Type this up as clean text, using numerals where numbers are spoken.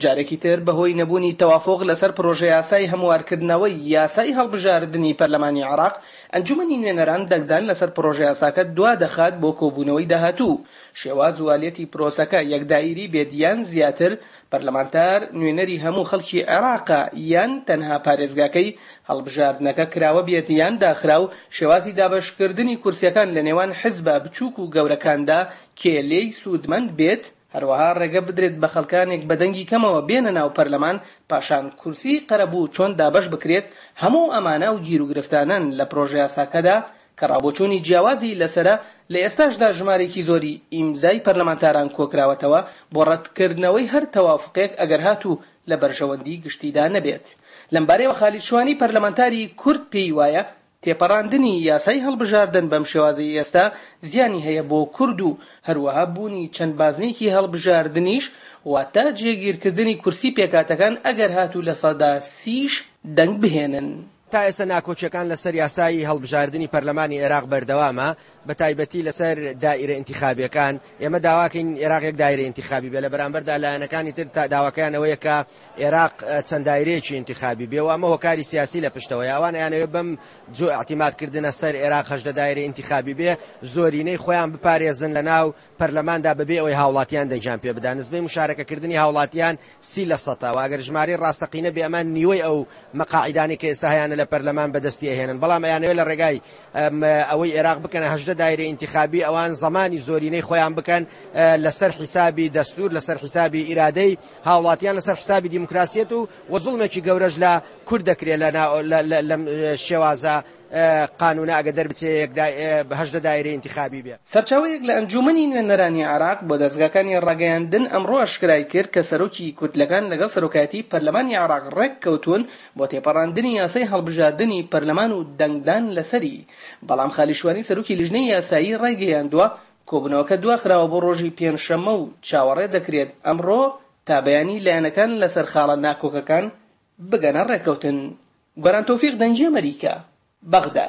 جارێکی تر بەهۆی نەبوونی تەوافوق لەسەر پرۆژەیاسای هەموارکردنەوەی یاسای هەڵبژاردنی پەرلەمانی عێراق، ئەنجومەنی نوێنەران دەنگدان لەسەر پرۆژەیاساکە دوادەخات بۆ کۆبوونەوەی داهاتوو. شێواز و ئالیەتی پرۆسەکە یەک دائیری بێت یان زیاتر، پەرلەمانتار نوێنەری هەموو خەڵکی عێراقە یان تەنها پارێزگاکەی، هەڵبژاردنەکە کراوە بێت یان داخراو، شێوازی دابەشکردنی کورسیەکان لەنێوان حزبە بچووک و گەورەکاندا کێ لێی سوودمەند بێت، هەروەها ڕێگە بدرێت بە خەڵکانێک بە دەنگی کەمەوە بێنە ناو پەرلەمان، پاشان کورسیی قەرەبوو چۆن دابەش بکرێت، هەموو ئەمانە ئەو گیروگرفتانەن لە پرۆژەیاساکەدا کە ڕاوبۆچوونی جیاوازی لەسەرە، لە ئێستاشدا ژمارەیەکی زۆری ئیمزای پەرلەمانتاران کۆکراوەتەوە بۆ ڕەتکردنەوەی هەر تەوافوقێک ئەگەر هاتوو لە بەرژەوەندی گشتیدا نەبێت. لەمبارەیەوە خالید شوانی پەرلەمانتاری کورد پێی وایە، تێپەڕاندنی یاسای هەڵبژاردن بەم شێوازەی ئێستا زیانی هەیە بۆ کورد و هەروەها بوونی چەند بازنەیەکی هەڵبژاردنیش واتە جێگیرکردنی کورسی پێکهاتەکان ئەگەر هاتوو 30% یش دەنگ بهێنن. تا ئێستا ناکۆکییەکان لەسەر یاسای هەڵبژاردنی پەرلەمانی ئێراق بەردەوامە، بەتایبەتی لەسەر دائیرە ئینتیخابییەکان، ئێمە داواکەین ئێراق یەک دایرەی ئینتیخابی بێ، لە بەرامبەردا لایەنەکانی تر داواکەیان ئەوەیە کە ئێراق چەند دایرەیەکی ئینتیخابی بێ و ئەمە هۆکاری سیاسی لە پشتەوەیە، ئەوان ئەیانەوێ بەم جۆ ئیعتیماد کردنە سەر ئێراق 18 دایرەی ئینتیخابی بێ، زۆرینەی خۆیان بپارێزن لە ناو پەرلەماندا بەبێ ئەوەی هاوڵاتیان دەنگیان پێ بدان، نسبەی مشارەکەکردنی هاوڵاتیان 30 لە سەتە و ئەگەر ژمارەی ڕاستەقینە بێ ئەمان نیوەی ئەو مەقاعیدانەی کە ئێستا هەیانە لە پەرلەمان بەدەستی ئەهێنن، بەڵام ئەیانەوێ لە ڕێگای ئەوەی ئێراق بکەنە 18 دایرەی ئینتیخابی ئەوان زەمانی زۆرینەی خۆیان بکەن لەسەر حیسابی دەستور، لەسەر حیسابی ئیرادەی هاوڵاتیان، لەسەر حیسابی دیموکراسیەت و وە زوڵمێکی گەورەش لە کورد دەکرێت لەم شێوازە قانونە ئەگەر دەربچێ یەک 18 دایرەی ئینتیخابی بێ. سەرچاوەیەک لە ئەنجوومەنی نوێنەرانی عێراق بۆ دەزگاکانی ڕاگەیاندن ئەمڕۆ ئاشکرای کرد کە سەرۆکی کوتلەکان لەگەڵ سەرۆکایەتی پەرلەمانی عێراق ڕێککەوتوون بۆ تێپەڕاندنی یاسای هەڵبژاردنی پەرلەمان و دەنگدان لەسەری، بەڵام خالید شوانی سەرۆکی لیژنەی یاسایی ڕایگەیاندووە کۆبوونەوەکە دواخراوە بۆ ڕۆژی پێنجشەممە و چاوەڕێ دەکرێت ئەمڕۆ تا بەیانی لایەنەکان لەسەر خاڵە ناکۆکەکان بگەنە ڕێککەوتن. گۆران تۆفیق دەنگی ئەمەریکا، بەغدا.